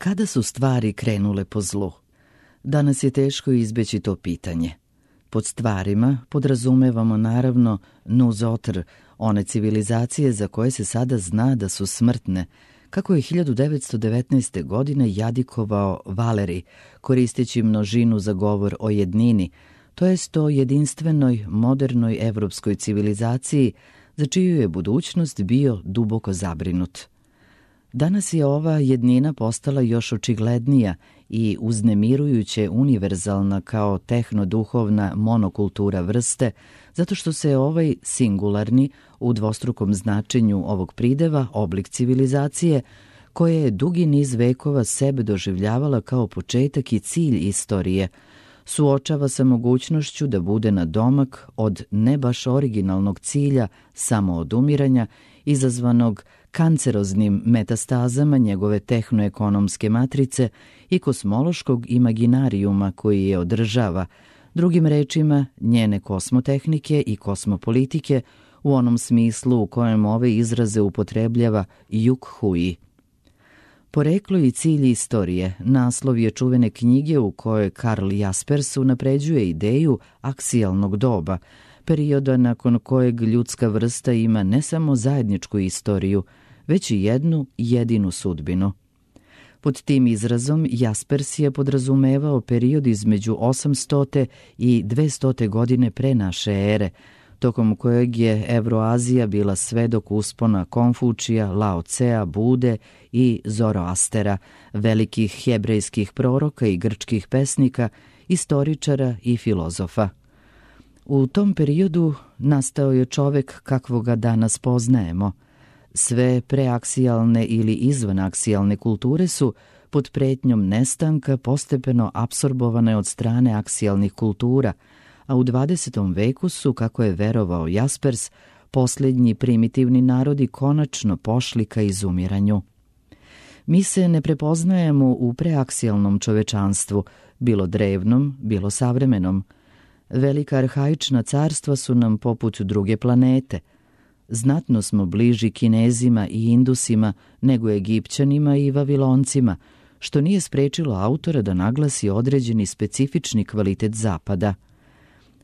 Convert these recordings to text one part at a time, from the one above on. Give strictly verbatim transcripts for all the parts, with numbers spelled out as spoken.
Kada su stvari krenule po zlu? Danas je teško izbeći to pitanje. Pod stvarima podrazumevamo naravno nuzotr, one civilizacije za koje se sada zna da su smrtne, kako je hiljadu devetsto devetnaeste. godine jadikovao Valeri, koristeći množinu za govor o jednini, to jest o jedinstvenoj, modernoj evropskoj civilizaciji, za čiju je budućnost bio duboko zabrinut. Danas je ova jednina postala još očiglednija i uznemirujuće univerzalna kao tehnoduhovna monokultura vrste, zato što se ovaj singularni, u dvostrukom značenju ovog prideva, oblik civilizacije, koje je dugi niz vekova sebe doživljavala kao početak i cilj istorije, suočava sa mogućnošću da bude nadomak od ne baš originalnog cilja samoodumiranja, izazvanog kanceroznim metastazama njegove tehnoekonomske matrice i kosmološkog imaginarijuma koji je održava, drugim rečima njene kosmotehnike i kosmopolitike u onom smislu u kojem ove izraze upotrebljava Juk Hui. Poreklo i cilj istorije naslov je čuvene knjige u kojoj Karl Jaspers unapređuje ideju aksijalnog doba, perioda nakon kojeg ljudska vrsta ima ne samo zajedničku istoriju, već i jednu jedinu sudbinu. Pod tim izrazom Jaspers je podrazumevao period između osamstote i dvestote. godine pre naše ere, tokom kojeg je Evroazija bila svedok uspona Konfučija, Lao Cea, Bude i Zoroastera, velikih hebrejskih proroka i grčkih pesnika, istoričara i filozofa. U tom periodu nastao je čovek kakvoga danas poznajemo. Sve preaksijalne ili izvanaksijalne kulture su pod pretnjom nestanka postepeno apsorbovane od strane aksijalnih kultura, a u dvadesetom veku su, kako je verovao Jaspers, posljednji primitivni narodi konačno pošli ka izumiranju. Mi se ne prepoznajemo u preaksijalnom čovečanstvu, bilo drevnom, bilo savremenom. Velika arhaična carstva su nam poput druge planete. Znatno smo bliži Kinezima i Indusima nego Egipćanima i Vaviloncima, što nije sprečilo autora da naglasi određeni specifični kvalitet Zapada.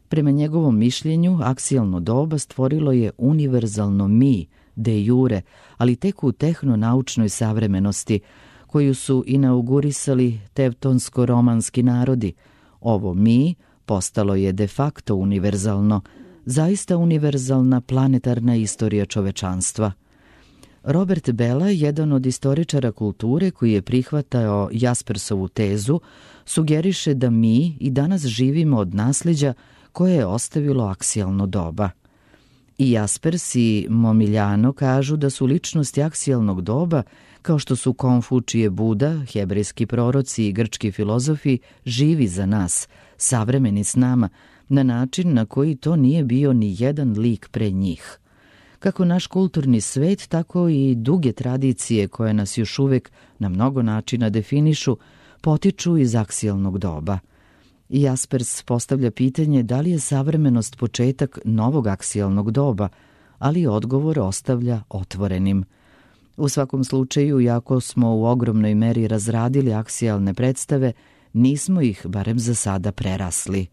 Prema njegovom mišljenju, aksijalno doba stvorilo je univerzalno mi, de jure, ali tek u tehnonaučnoj savremenosti, koju su inaugurisali tevtonsko-romanski narodi. Ovo mi postalo je de facto univerzalno, zaista univerzalna planetarna istorija čovečanstva. Robert Bella, jedan od istoričara kulture koji je prihvatao Jaspersovu tezu, sugeriše da mi i danas živimo od nasleđa koje je ostavilo aksijalno doba. I Jaspers i Momiljano kažu da su ličnosti aksijalnog doba, kao što su Konfučije, Buda, hebrejski proroci i grčki filozofi, živi za nas, savremeni s nama, na način na koji to nije bio ni jedan lik pre njih. Kako naš kulturni svet, tako i duge tradicije koje nas još uvek na mnogo načina definišu, potiču iz aksijalnog doba. Jaspers postavlja pitanje da li je savremenost početak novog aksijalnog doba, ali odgovor ostavlja otvorenim. U svakom slučaju, iako smo u ogromnoj meri razradili aksijalne predstave, nismo ih, barem za sada, prerasli.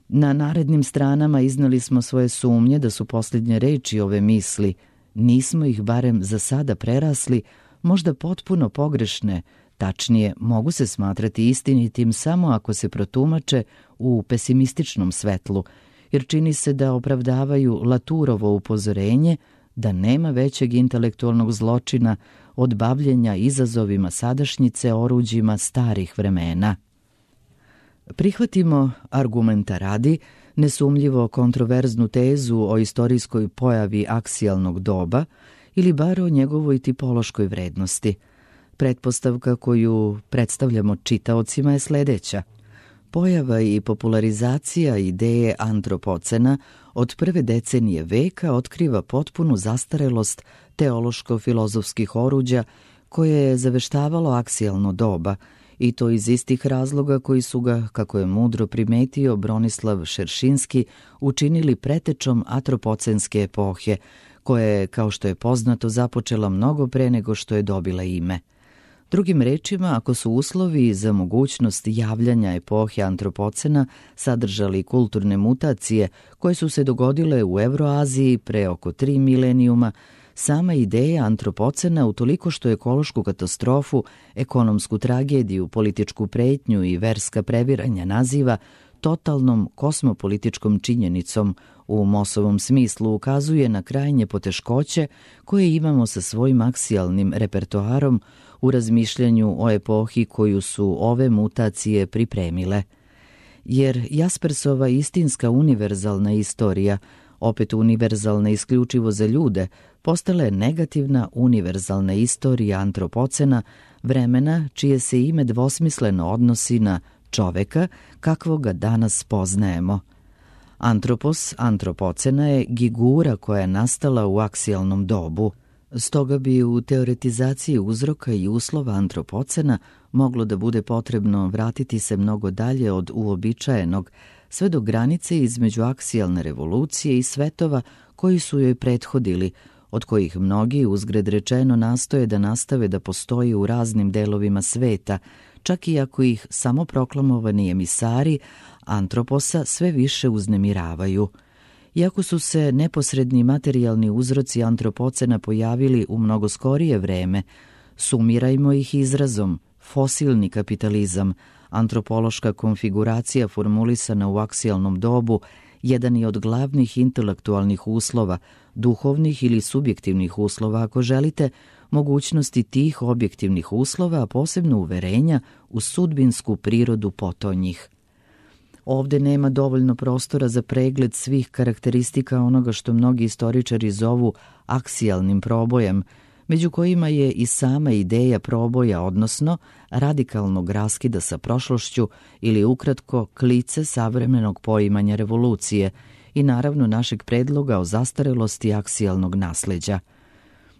Na narednim stranama iznali smo svoje sumnje da su posljednje reči ove misli, nismo ih barem za sada prerasli, možda potpuno pogrešne, tačnije mogu se smatrati istinitim samo ako se protumače u pesimističnom svetlu, jer čini se da opravdavaju Laturovo upozorenje da nema većeg intelektualnog zločina od bavljenja izazovima sadašnjice oruđima starih vremena. Prihvatimo, argumenta radi, nesumljivo kontroverznu tezu o istorijskoj pojavi aksijalnog doba ili bar o njegovoj tipološkoj vrednosti. Pretpostavka koju predstavljamo čitaocima je sledeća. Pojava i popularizacija ideje antropocena od prve decenije veka otkriva potpunu zastarelost teološko-filozofskih oruđa koje je zaveštavalo aksijalno doba, i to iz istih razloga koji su ga, kako je mudro primetio Bronislav Šeršinski, učinili pretečom atropocenske epohe, koja je, kao što je poznato, započela mnogo pre nego što je dobila ime. Drugim rečima, ako su uslovi za mogućnost javljanja epohe antropocena sadržali kulturne mutacije koje su se dogodile u Evroaziji pre oko tri milenijuma, sama ideja antropocena utoliko što ekološku katastrofu, ekonomsku tragediju, političku pretnju i verska previranja naziva totalnom kosmopolitičkom činjenicom u Mossovom smislu ukazuje na krajnje poteškoće koje imamo sa svojim aksijalnim repertoarom u razmišljanju o epohi koju su ove mutacije pripremile. Jer Jaspersova istinska univerzalna istorija, opet univerzalna isključivo za ljude, postala je negativna univerzalna istorija antropocena, vremena čije se ime dvosmisleno odnosi na čoveka kakvog ga danas poznajemo. Antropos antropocena je gigura koja je nastala u aksijalnom dobu. Stoga bi u teoretizaciji uzroka i uslova antropocena moglo da bude potrebno vratiti se mnogo dalje od uobičajenog, sve do granice između aksijalne revolucije i svetova koji su joj prethodili, od kojih mnogi, uzgred rečeno, nastoje da nastave da postoji u raznim delovima sveta, čak i ako ih samoproklamovani emisari antroposa sve više uznemiravaju. Iako su se neposredni materijalni uzroci antropocena pojavili u mnogo skorije vreme, sumirajmo ih izrazom fosilni kapitalizam, antropološka konfiguracija formulisana u aksijalnom dobu, jedan je od glavnih intelektualnih uslova, duhovnih ili subjektivnih uslova, ako želite, mogućnosti tih objektivnih uslova, a posebno uverenja u sudbinsku prirodu potonjih. Ovde nema dovoljno prostora za pregled svih karakteristika onoga što mnogi istoričari zovu aksijalnim probojem, među kojima je i sama ideja proboja, odnosno radikalnog raskida sa prošlošću ili ukratko klice savremenog poimanja revolucije i naravno našeg predloga o zastarelosti aksijalnog nasleđa.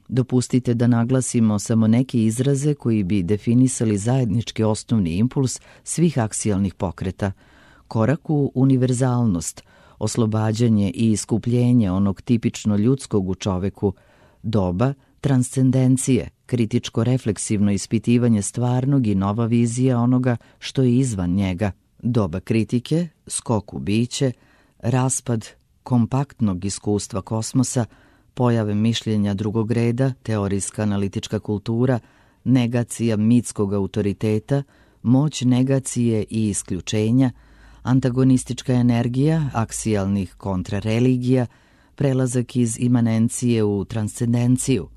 Dopustite da naglasimo samo neke izraze koji bi definisali zajednički osnovni impuls svih aksijalnih pokreta. Korak u univerzalnost, oslobađanje i iskupljenje onog tipično ljudskog u čoveku, doba transcendencije, kritičko-refleksivno ispitivanje stvarnog i nova vizija onoga što je izvan njega, doba kritike, skok u biće, raspad kompaktnog iskustva kosmosa, pojave mišljenja drugog reda, teorijska analitička kultura, negacija mitskog autoriteta, moć negacije i isključenja, antagonistička energija aksijalnih kontrareligija, prelazak iz imanencije u transcendenciju.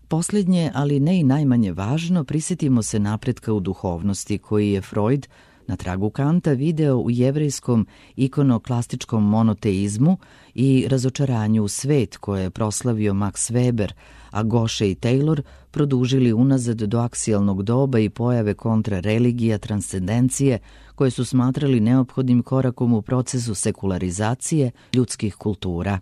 Posljednje, ali ne i najmanje važno, prisjetimo se napretka u duhovnosti koji je Freud na tragu Kanta video u jevrejskom ikonoklastičkom monoteizmu i razočaranju u svet koje je proslavio Max Weber, a Gosche i Taylor produžili unazad do aksijalnog doba i pojave kontrareligija transcendencije koje su smatrali neophodnim korakom u procesu sekularizacije ljudskih kultura.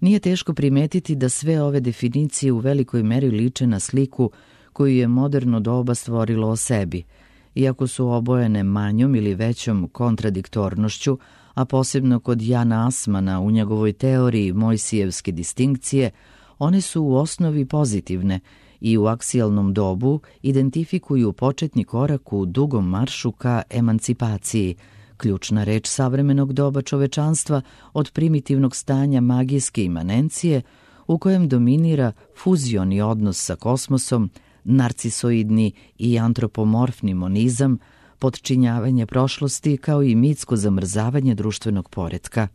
Nije teško primetiti da sve ove definicije u velikoj meri liče na sliku koju je moderno doba stvorilo o sebi, iako su obojene manjom ili većom kontradiktornošću, a posebno kod Jana Asmana u njegovoj teoriji Mojsijevske distinkcije, one su u osnovi pozitivne i u aksijalnom dobu identifikuju početni korak u dugom maršu ka emancipaciji, ključna reč savremenog doba čovečanstva od primitivnog stanja magijske imanencije u kojem dominira fuzioni odnos sa kosmosom, narcisoidni i antropomorfni monizam, potčinjavanje prošlosti kao i mitsko zamrzavanje društvenog poretka.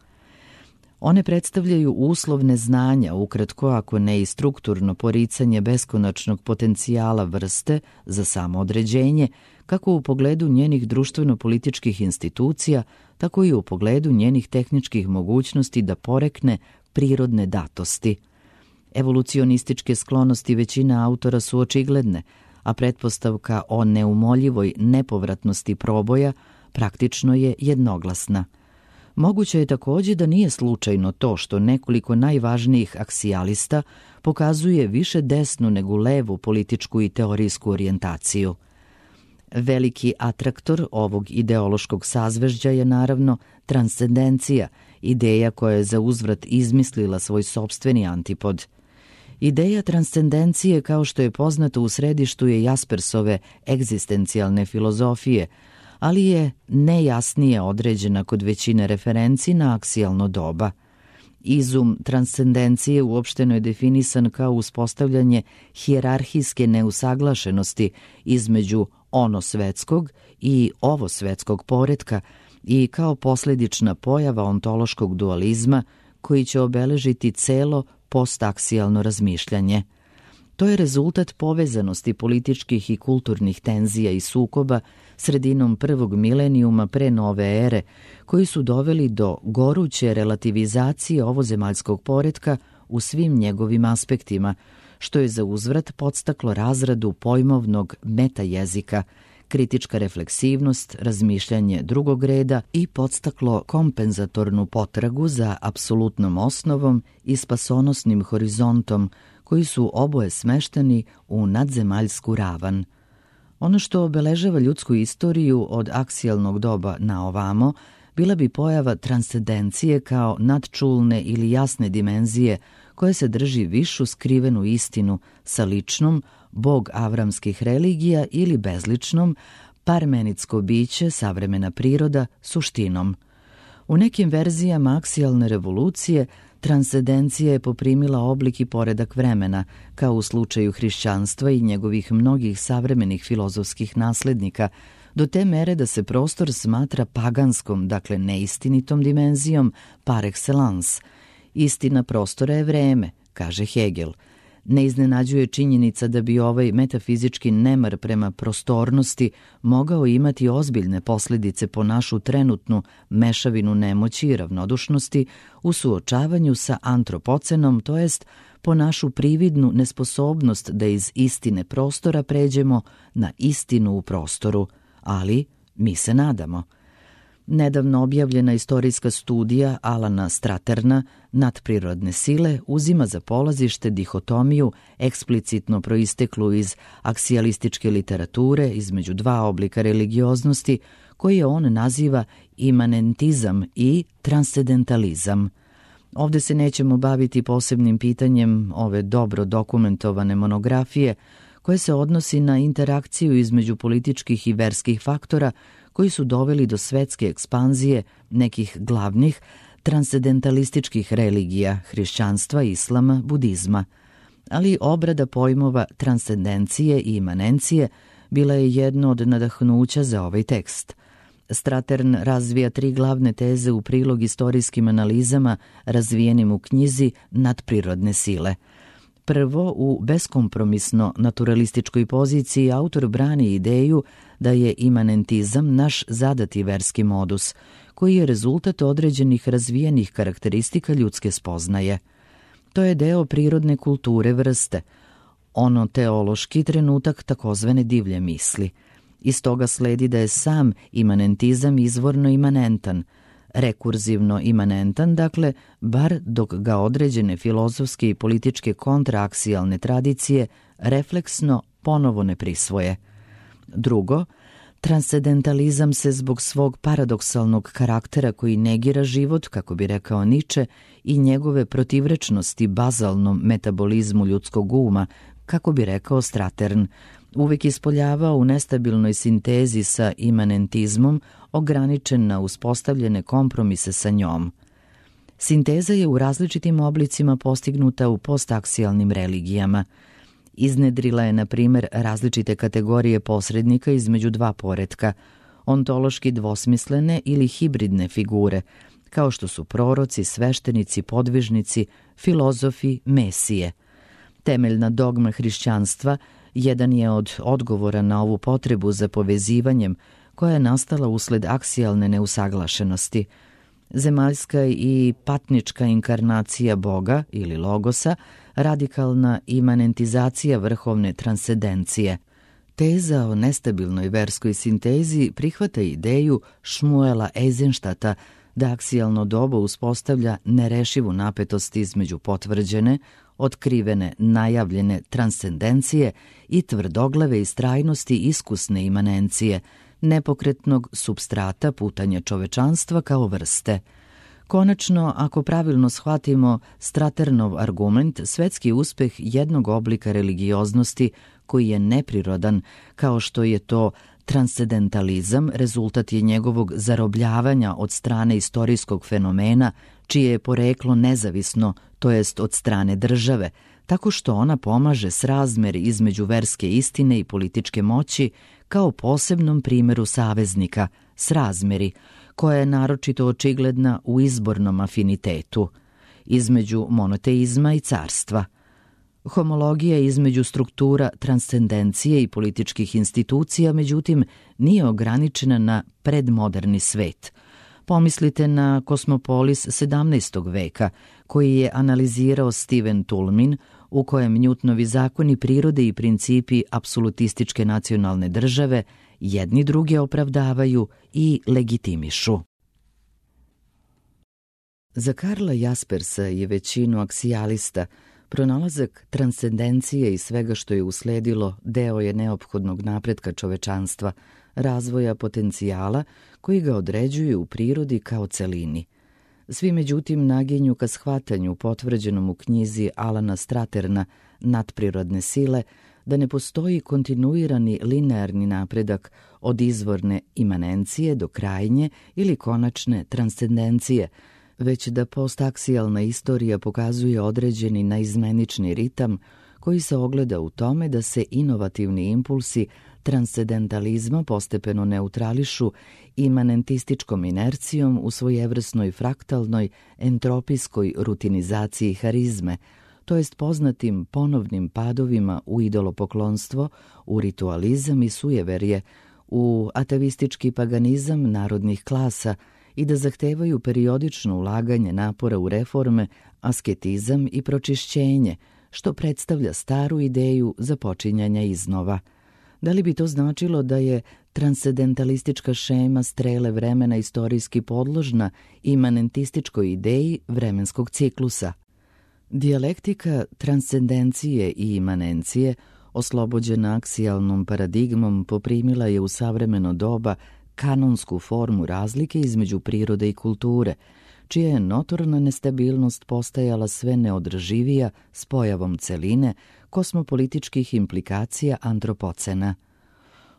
One predstavljaju uslov neznanja, ukratko ako ne i strukturno poricanje beskonačnog potencijala vrste za samoodređenje, kako u pogledu njenih društveno-političkih institucija, tako i u pogledu njenih tehničkih mogućnosti da porekne prirodne datosti. Evolucionističke sklonosti većine autora su očigledne, a pretpostavka o neumoljivoj nepovratnosti proboja praktično je jednoglasna. Moguće je također da nije slučajno to što nekoliko najvažnijih aksijalista pokazuje više desnu nego levu političku i teorijsku orijentaciju. Veliki atraktor ovog ideološkog sazvežđa je naravno transcendencija, ideja koja je za uzvrat izmislila svoj sopstveni antipod. Ideja transcendencije, kao što je poznato, u središtu je Jaspersove egzistencijalne filozofije, ali je nejasnije određena kod većine referenci na aksijalno doba. Izum transcendencije uopšteno je definisan kao uspostavljanje hijerarhijske neusaglašenosti između ono svetskog i ovo svetskog poretka i kao posljedična pojava ontološkog dualizma koji će obeležiti celo postaksijalno razmišljanje. To je rezultat povezanosti političkih i kulturnih tenzija i sukoba sredinom prvog milenijuma pre nove ere, koji su doveli do goruće relativizacije ovozemaljskog poretka u svim njegovim aspektima, što je za uzvrat podstaklo razradu pojmovnog metajezika, kritička refleksivnost, razmišljanje drugog reda i podstaklo kompenzatornu potragu za apsolutnom osnovom i spasonosnim horizontom, koji su oboje smešteni u nadzemaljsku ravan. Ono što obeležava ljudsku istoriju od aksijalnog doba na ovamo bila bi pojava transcendencije kao nadčulne ili jasne dimenzije koje se drži višu skrivenu istinu sa ličnom, bog avramskih religija ili bezličnom, parmenitsko biće, savremena priroda, suštinom. U nekim verzijama aksijalne revolucije transcendencija je poprimila oblik i poredak vremena, kao u slučaju hrišćanstva i njegovih mnogih savremenih filozofskih naslednika, do te mere da se prostor smatra paganskom, dakle neistinitom dimenzijom par excellence. Istina prostora je vreme, kaže Hegel. Ne iznenađuje činjenica da bi ovaj metafizički nemar prema prostornosti mogao imati ozbiljne posljedice po našu trenutnu mešavinu nemoći i ravnodušnosti u suočavanju sa antropocenom, to jest po našu prividnu nesposobnost da iz istine prostora pređemo na istinu u prostoru, ali mi se nadamo. Nedavno objavljena istorijska studija Alana Straterna Nadprirodne sile uzima za polazište dihotomiju eksplicitno proisteklu iz aksijalističke literature između dva oblika religioznosti koje on naziva imanentizam i transcendentalizam. Ovde se nećemo baviti posebnim pitanjem ove dobro dokumentovane monografije koje se odnosi na interakciju između političkih i verskih faktora koji su doveli do svetske ekspanzije nekih glavnih transcendentalističkih religija, hrišćanstva, islama, budizma. Ali obrada pojmova transcendencije i imanencije bila je jedno od nadahnuća za ovaj tekst. Stratern razvija tri glavne teze u prilog istorijskim analizama razvijenim u knjizi Nadprirodne sile. Prvo, u beskompromisno naturalističkoj poziciji autor brani ideju da je imanentizam naš zadati verski modus, koji je rezultat određenih razvijenih karakteristika ljudske spoznaje. To je deo prirodne kulture vrste, ono teološki trenutak takozvane divlje misli. Iz toga sledi da je sam imanentizam izvorno imanentan, rekurzivno imanentan, dakle, bar dok ga određene filozofske i političke kontraaksijalne tradicije refleksno ponovo ne prisvoje. Drugo, transcendentalizam se zbog svog paradoksalnog karaktera koji negira život, kako bi rekao Niče, i njegove protivrečnosti bazalnom metabolizmu ljudskog uma, kako bi rekao Stratern, uvek ispoljavao u nestabilnoj sintezi sa imanentizmom, ograničen na uspostavljene kompromise sa njom. Sinteza je u različitim oblicima postignuta u postaksijalnim religijama. Iznedrila je, na primjer, različite kategorije posrednika između dva poretka, ontološki dvosmislene ili hibridne figure, kao što su proroci, sveštenici, podvižnici, filozofi, mesije. Temeljna dogma hrišćanstva jedan je od odgovora na ovu potrebu za povezivanjem koja je nastala usled aksijalne neusaglašenosti. Zemaljska i patnička inkarnacija Boga ili Logosa, radikalna imanentizacija vrhovne transcendencije. Teza o nestabilnoj verskoj sintezi prihvata ideju Šmuela Eisenštata da aksijalno doba uspostavlja nerešivu napetost između potvrđene, otkrivene, najavljene transcendencije i tvrdoglave istrajnosti iskusne imanencije, nepokretnog supstrata putanja čovečanstva kao vrste. Konačno, ako pravilno shvatimo Straternov argument, svetski uspeh jednog oblika religioznosti koji je neprirodan, kao što je to transcendentalizam, rezultat je njegovog zarobljavanja od strane istorijskog fenomena, čije je poreklo nezavisno, to jest od strane države, tako što ona pomaže srazmer između verske istine i političke moći kao posebnom primjeru saveznika, srazmeri, koja je naročito očigledna u izbornom afinitetu, između monoteizma i carstva. Homologija između struktura transcendencije i političkih institucija, međutim, nije ograničena na predmoderni svet. Pomislite na Kosmopolis sedamnaestog veka, koji je analizirao Steven Toulmin, u kojem Newtonovi zakoni prirode i principi apsolutističke nacionalne države jedni druge opravdavaju i legitimišu. Za Karla Jaspersa i većinu aksijalista pronalazak transcendencije i svega što je usledilo deo je neophodnog napretka čovečanstva, razvoja potencijala koji ga određuju u prirodi kao celini. Svi međutim naginju ka shvatanju potvrđenom u knjizi Alana Straterna Nadprirodne sile da ne postoji kontinuirani linearni napredak od izvorne imanencije do krajnje ili konačne transcendencije, već da postaksijalna istorija pokazuje određeni naizmenični ritam koji se ogleda u tome da se inovativni impulsi transcendentalizma postepeno neutrališu imanentističkom inercijom u svojevrsnoj fraktalnoj entropijskoj rutinizaciji harizme, to jest poznatim ponovnim padovima u idolopoklonstvo, u ritualizam i sujeverje, u atavistički paganizam narodnih klasa i da zahtevaju periodično ulaganje napora u reforme, asketizam i pročišćenje, što predstavlja staru ideju započinjanja iznova. Da li bi to značilo da je transcendentalistička šema strele vremena istorijski podložna imanentističkoj ideji vremenskog ciklusa? Dijalektika transcendencije i imanencije, oslobođena aksijalnom paradigmom, poprimila je u savremeno doba kanonsku formu razlike između prirode i kulture, čija je notorna nestabilnost postajala sve neodrživija s pojavom celine kosmopolitičkih implikacija antropocena.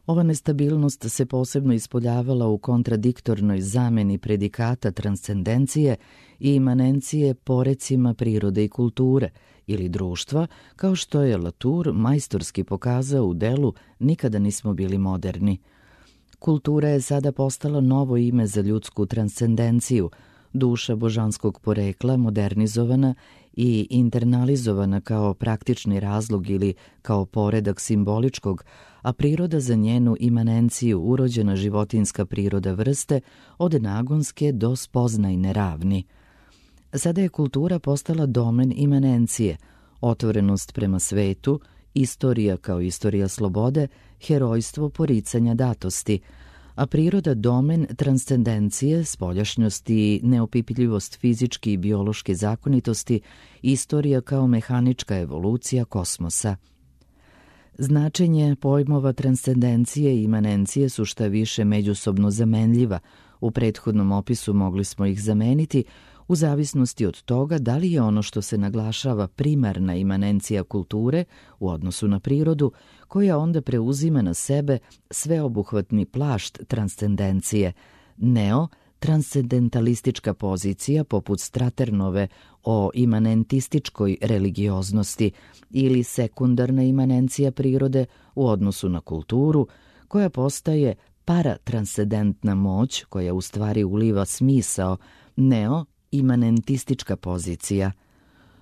Ova nestabilnost se posebno ispoljavala u kontradiktornoj zameni predikata transcendencije i imanencije porecima prirode i kulture ili društva, kao što je Latour majstorski pokazao u delu Nikada nismo bili moderni. Kultura je sada postala novo ime za ljudsku transcendenciju, duša božanskog porekla modernizovana i internalizovana kao praktični razlog ili kao poredak simboličkog, a priroda za njenu imanenciju urođena životinska priroda vrste od nagonske do spoznajne ravni. Sada je kultura postala domen imanencije, otvorenost prema svetu, istorija kao istorija slobode, herojstvo poricanja datosti, a priroda domen transcendencije, spoljašnjosti i neopipljivost fizičke i biološke zakonitosti, istorija kao mehanička evolucija kosmosa. Značenje pojmova transcendencije i imanencije su šta više međusobno zamenljiva. U prethodnom opisu mogli smo ih zameniti u zavisnosti od toga da li je ono što se naglašava primarna imanencija kulture u odnosu na prirodu, koja onda preuzima na sebe sveobuhvatni plašt transcendencije, neo transcendentalistička pozicija poput Straternove o imanentističkoj religioznosti ili sekundarna imanencija prirode u odnosu na kulturu, koja postaje paratranscendentna moć koja u stvari uliva smisao, neo imanentistička pozicija.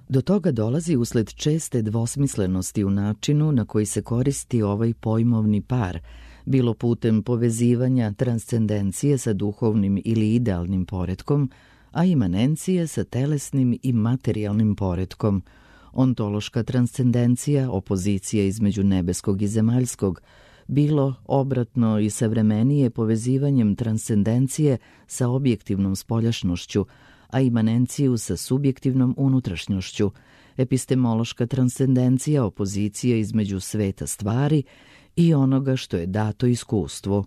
Do toga dolazi usled česte dvosmislenosti u načinu na koji se koristi ovaj pojmovni par, bilo putem povezivanja transcendencije sa duhovnim ili idealnim poretkom, a imanencije sa telesnim i materijalnim poretkom. Ontološka transcendencija, opozicija između nebeskog i zemaljskog, bilo obratno i savremenije povezivanjem transcendencije sa objektivnom spoljašnošću, a imanenciju sa subjektivnom unutrašnjošću, epistemološka transcendencija, opozicija između sveta stvari i onoga što je dato iskustvu.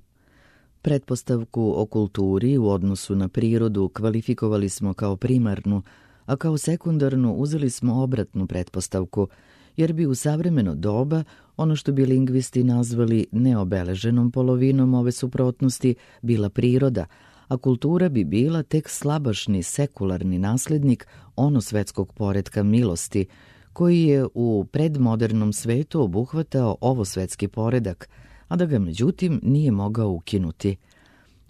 Pretpostavku o kulturi u odnosu na prirodu kvalifikovali smo kao primarnu, a kao sekundarnu uzeli smo obratnu pretpostavku, jer bi u savremeno doba ono što bi lingvisti nazvali neobeleženom polovinom ove suprotnosti bila priroda, a kultura bi bila tek slabašni sekularni naslednik onosvetskog poretka milosti, koji je u predmodernom svetu obuhvatao ovosvetski poredak, a da ga međutim nije mogao ukinuti.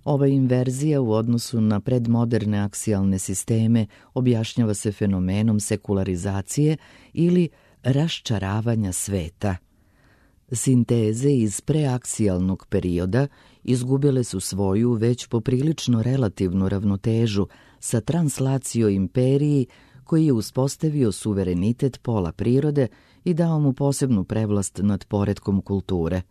Ova inverzija u odnosu na predmoderne aksijalne sisteme objašnjava se fenomenom sekularizacije ili raščaravanja sveta. Sinteze iz preaksijalnog perioda izgubile su svoju već poprilično relativnu ravnotežu sa translacio imperiji koji je uspostavio suverenitet pola prirode i dao mu posebnu prevlast nad poretkom kulture.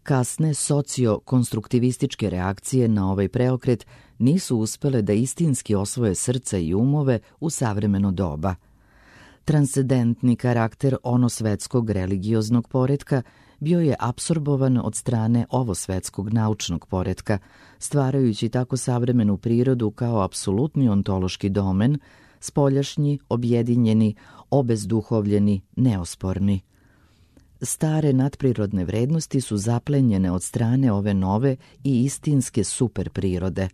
Kasne socio-konstruktivističke reakcije na ovaj preokret nisu uspele da istinski osvoje srca i umove u savremeno doba. Transcendentni karakter onosvetskog religioznog poretka bio je apsorbovan od strane ovosvetskog naučnog poretka, stvarajući tako savremenu prirodu kao apsolutni ontološki domen, spoljašnji, objedinjeni, obezduhovljeni, neosporni. Stare nadprirodne vrednosti su zaplenjene od strane ove nove i istinske superprirode.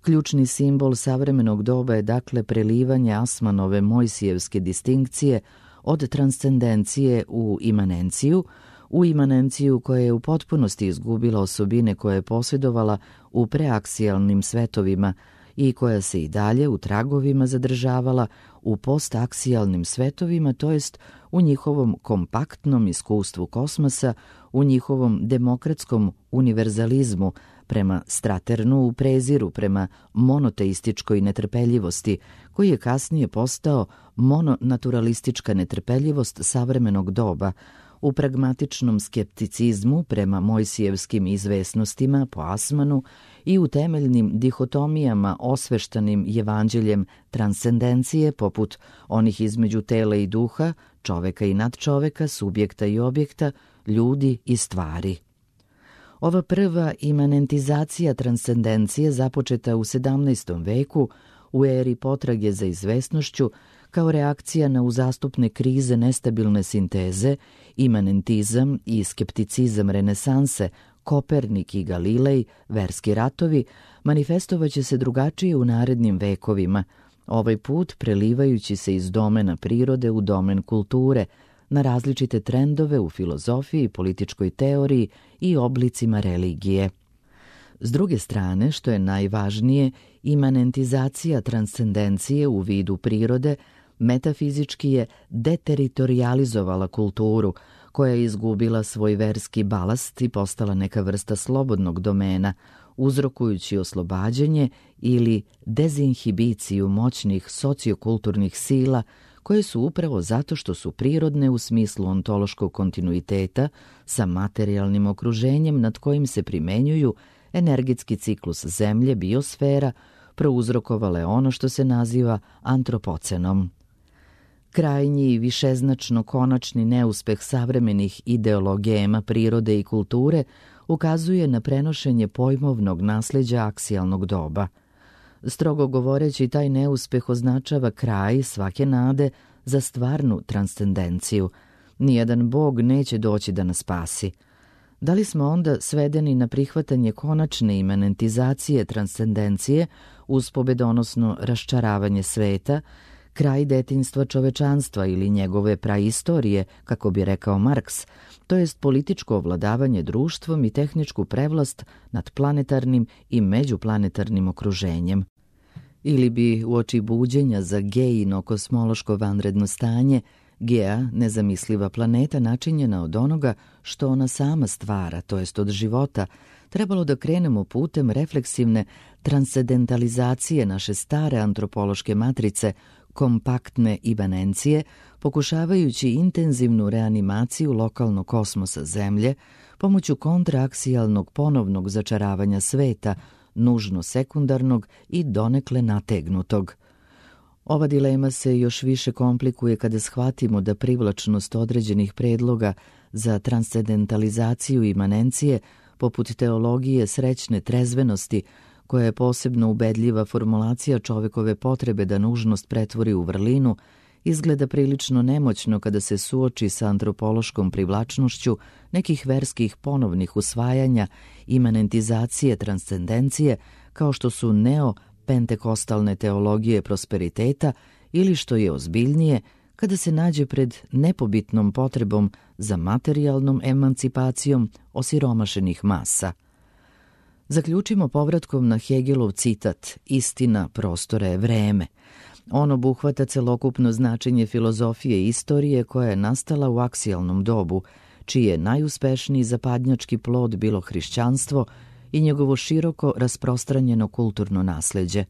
Ključni simbol savremenog doba je dakle prelivanje Asmanove Mojsijevske distinkcije od transcendencije u imanenciju, u imanenciju koja je u potpunosti izgubila osobine koje je posjedovala u preaksijalnim svetovima i koja se i dalje u tragovima zadržavala u postaksijalnim svetovima, to jest u njihovom kompaktnom iskustvu kosmosa, u njihovom demokratskom univerzalizmu, prema Straternu u preziru prema monoteističkoj netrpeljivosti, koji je kasnije postao mononaturalistička netrpeljivost savremenog doba, u pragmatičnom skepticizmu prema Mojsijevskim izvesnostima po Asmanu i u temeljnim dihotomijama osveštanim evanđeljem transcendencije poput onih između tela i duha, čoveka i nadčoveka, subjekta i objekta, ljudi i stvari. Ova prva imanentizacija transcendencije započeta u sedamnaestom veku u eri potrage za izvesnošću kao reakcija na uzastupne krize nestabilne sinteze, imanentizam i skepticizam renesanse, Kopernik i Galilej, verski ratovi, manifestovaće se drugačije u narednim vekovima, ovaj put prelivajući se iz domena prirode u domen kulture, na različite trendove u filozofiji, političkoj teoriji i oblicima religije. S druge strane, što je najvažnije, imanentizacija transcendencije u vidu prirode metafizički je deteritorializovala kulturu, koja je izgubila svoj verski balast i postala neka vrsta slobodnog domena, uzrokujući oslobađanje ili dezinhibiciju moćnih sociokulturnih sila, koje su upravo zato što su prirodne u smislu ontološkog kontinuiteta sa materijalnim okruženjem nad kojim se primenjuju energetski ciklus zemlje, biosfera, prouzrokovale ono što se naziva antropocenom. Krajnji i višeznačno konačni neuspeh savremenih ideologema prirode i kulture ukazuje na prenošenje pojmovnog nasleđa aksijalnog doba. Strogo govoreći, taj neuspeh označava kraj svake nade za stvarnu transcendenciju. Nijedan bog neće doći da nas spasi. Da li smo onda svedeni na prihvatanje konačne imanentizacije transcendencije uz pobedonosno raščaravanje sveta, kraj detinjstva čovečanstva ili njegove praistorije, kako bi rekao Marks, to jest političko ovladavanje društvom i tehničku prevlast nad planetarnim i međuplanetarnim okruženjem? Ili bi uoči buđenja za Geino kosmološko vanredno stanje, Gea, nezamisliva planeta načinjena od onoga što ona sama stvara, to jest od života, trebalo da krenemo putem refleksivne transcendentalizacije naše stare antropološke matrice, kompaktne imanencije, pokušavajući intenzivnu reanimaciju lokalnog kosmosa Zemlje pomoću kontraaksijalnog ponovnog začaravanja sveta, nužno sekundarnog i donekle nategnutog. Ova dilema se još više komplikuje kada shvatimo da privlačnost određenih predloga za transcendentalizaciju imanencije poput teologije srećne trezvenosti, koja je posebno ubedljiva formulacija čovekove potrebe da nužnost pretvori u vrlinu, izgleda prilično nemoćno kada se suoči sa antropološkom privlačnošću nekih verskih ponovnih usvajanja, imanentizacije, transcendencije, kao što su neopentekostalne teologije prosperiteta ili, što je ozbiljnije, kada se nađe pred nepobitnom potrebom za materijalnom emancipacijom osiromašenih masa. Zaključimo povratkom na Hegelov citat „Istina prostora je vreme“. On obuhvata celokupno značenje filozofije i istorije koja je nastala u aksijalnom dobu, čiji je najuspešniji zapadnjački plod bilo hrišćanstvo i njegovo široko rasprostranjeno kulturno nasleđe.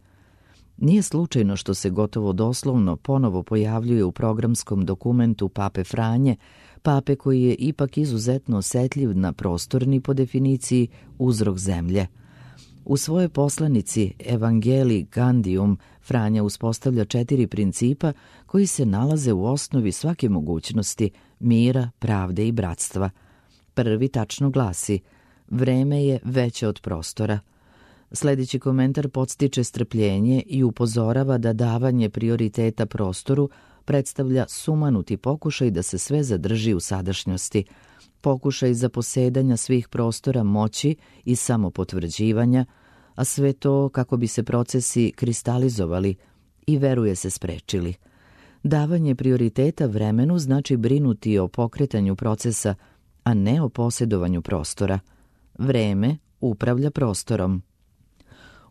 Nije slučajno što se gotovo doslovno ponovo pojavljuje u programskom dokumentu Pape Franje, pape koji je ipak izuzetno osetljiv na prostorni, po definiciji, uzrok zemlje. U svojoj poslanici Evangelii Gaudium Franja uspostavlja četiri principa koji se nalaze u osnovi svake mogućnosti mira, pravde i bratstva. Prvi tačno glasi: vreme je veće od prostora. Sljedeći komentar podstiče strpljenje i upozorava da davanje prioriteta prostoru predstavlja sumanuti pokušaj da se sve zadrži u sadašnjosti, pokušaj zaposedanja svih prostora moći i samopotvrđivanja, a sve to kako bi se procesi kristalizovali i, veruje se, sprečili. Davanje prioriteta vremenu znači brinuti o pokretanju procesa, a ne o posjedovanju prostora. Vreme upravlja prostorom.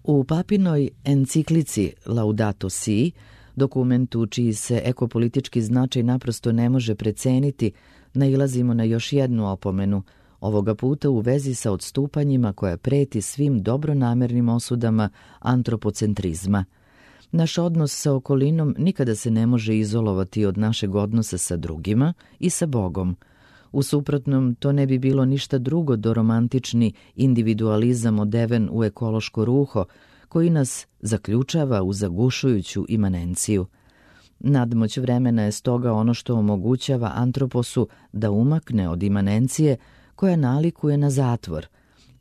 U papinoj enciklici Laudato Si, dokumentu čiji se ekopolitički značaj naprosto ne može preceniti, nailazimo na još jednu opomenu, ovoga puta u vezi sa odstupanjima koja preti svim dobronamernim osudama antropocentrizma. Naš odnos sa okolinom nikada se ne može izolovati od našeg odnosa sa drugima i sa Bogom. U suprotnom, to ne bi bilo ništa drugo do romantični individualizam odeven u ekološko ruho, koji nas zaključava u zagušujuću imanenciju. Nadmoć vremena je stoga ono što omogućava antroposu da umakne od imanencije koja nalikuje na zatvor.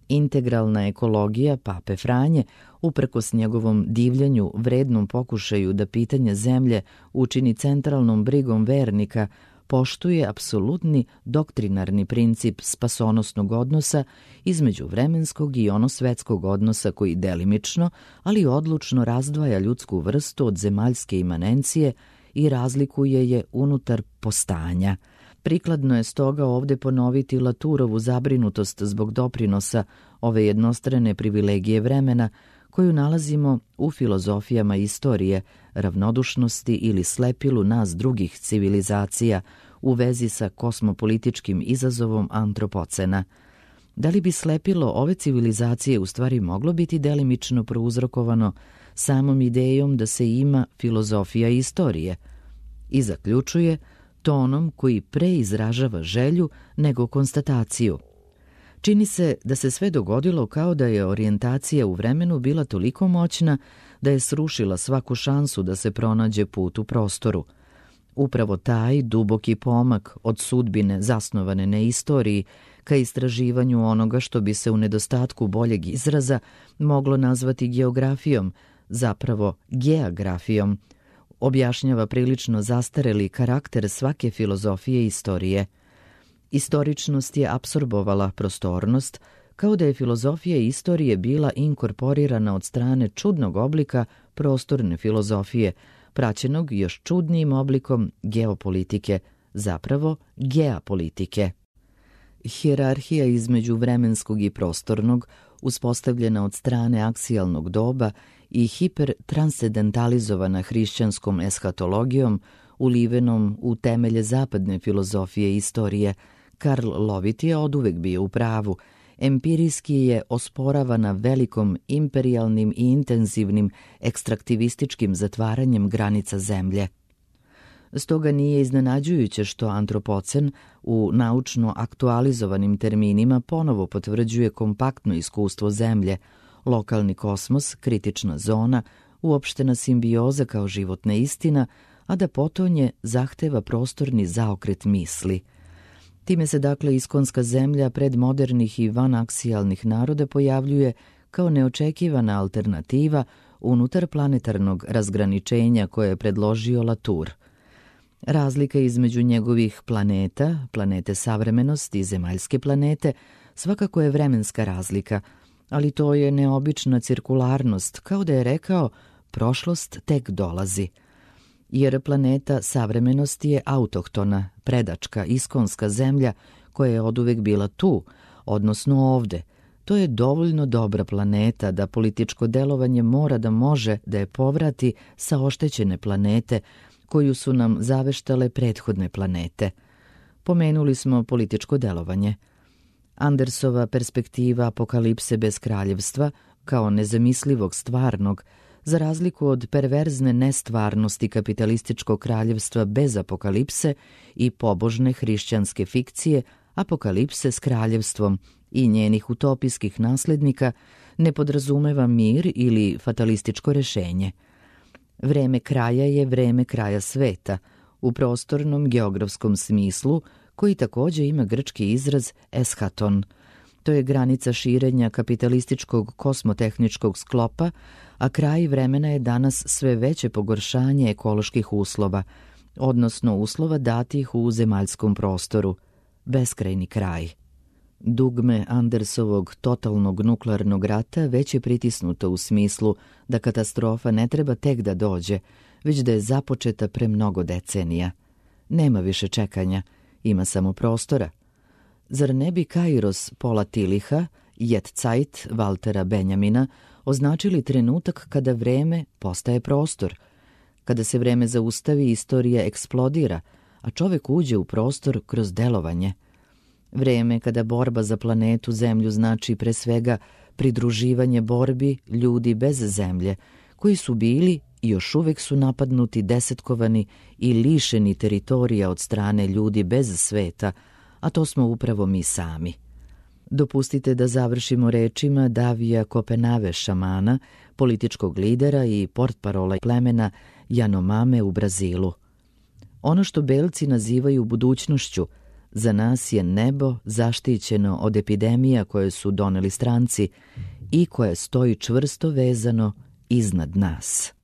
Integralna ekologija Pape Franje, uprkos njegovom divljenju, vrednom pokušaju da pitanje zemlje učini centralnom brigom vernika, poštuje apsolutni doktrinarni princip spasonosnog odnosa između vremenskog i onosvetskog odnosa koji delimično, ali odlučno razdvaja ljudsku vrstu od zemaljske imanencije i razlikuje je unutar postanja. Prikladno je stoga ovdje ponoviti Laturovu zabrinutost zbog doprinosa ove jednostrane privilegije vremena koju nalazimo u filozofijama istorije, ravnodušnosti ili slepilu nas drugih civilizacija u vezi sa kosmopolitičkim izazovom antropocena. Da li bi slepilo ove civilizacije u stvari moglo biti delimično prouzrokovano samom idejom da se ima filozofija istorije? I zaključuje tonom koji pre izražava želju nego konstataciju. Čini se da se sve dogodilo kao da je orijentacija u vremenu bila toliko moćna da je srušila svaku šansu da se pronađe put u prostoru. Upravo taj duboki pomak od sudbine zasnovane na istoriji ka istraživanju onoga što bi se u nedostatku boljeg izraza moglo nazvati geografijom, zapravo geografijom, objašnjava prilično zastareli karakter svake filozofije istorije. Istoričnost je apsorbovala prostornost, kao da je filozofija istorije bila inkorporirana od strane čudnog oblika prostorne filozofije, praćenog još čudnijim oblikom geopolitike, zapravo geapolitike. Hijerarhija između vremenskog i prostornog, uspostavljena od strane aksijalnog doba i hipertranscendentalizovana hrišćanskom eshatologijom, ulivenom u temelje zapadne filozofije istorije, Karl Lovit je oduvek bio u pravu. Empirijski je osporavana velikom imperijalnim i intenzivnim ekstraktivističkim zatvaranjem granica zemlje. Stoga nije iznenađujuće što antropocen u naučno aktualizovanim terminima ponovo potvrđuje kompaktno iskustvo zemlje, lokalni kosmos, kritična zona, uopštena simbioza kao životna istina, a da potonje zahteva prostorni zaokret misli. Time se dakle iskonska zemlja pred modernih i vanaksijalnih naroda pojavljuje kao neočekivana alternativa unutar planetarnog razgraničenja koje je predložio Latour. Razlika između njegovih planeta, planete savremenosti i zemaljske planete, svakako je vremenska razlika, ali to je neobična cirkularnost, kao da je rekao prošlost tek dolazi. Jer planeta savremenosti je autohtona, predačka, iskonska zemlja koja je oduvek bila tu, odnosno ovde. To je dovoljno dobra planeta da političko delovanje mora da može da je povrati sa oštećene planete koju su nam zaveštale prethodne planete. Pomenuli smo političko delovanje. Andersova perspektiva apokalipse bez kraljevstva, kao nezamislivog stvarnog, za razliku od perverzne nestvarnosti kapitalističkog kraljevstva bez apokalipse i pobožne hrišćanske fikcije, apokalipse s kraljevstvom i njenih utopijskih naslednika, ne podrazumeva mir ili fatalističko rešenje. Vreme kraja je vreme kraja sveta, u prostornom geografskom smislu, koji takođe ima grčki izraz eschaton. To je granica širenja kapitalističkog kosmotehničkog sklopa, a kraj vremena je danas sve veće pogoršanje ekoloških uslova, odnosno uslova datih u zemaljskom prostoru, beskrajni kraj. Dugme Andersovog totalnog nuklearnog rata već je pritisnuto u smislu da katastrofa ne treba tek da dođe, već da je započeta pre mnogo decenija. Nema više čekanja, ima samo prostora. Zar ne bi Kairos Paula Tillicha, Jetzeit Valtera Benjamina označili trenutak kada vreme postaje prostor? Kada se vreme zaustavi, istorija eksplodira, a čovek uđe u prostor kroz delovanje. Vreme kada borba za planetu Zemlju znači pre svega pridruživanje borbi ljudi bez zemlje, koji su bili i još uvek su napadnuti, desetkovani i lišeni teritorija od strane ljudi bez sveta, a to smo upravo mi sami. Dopustite da završimo rečima Davija Kopenave šamana, političkog lidera i portparola plemena Janomame u Brazilu. Ono što belci nazivaju budućnošću, za nas je nebo zaštićeno od epidemija koje su doneli stranci i koje stoji čvrsto vezano iznad nas.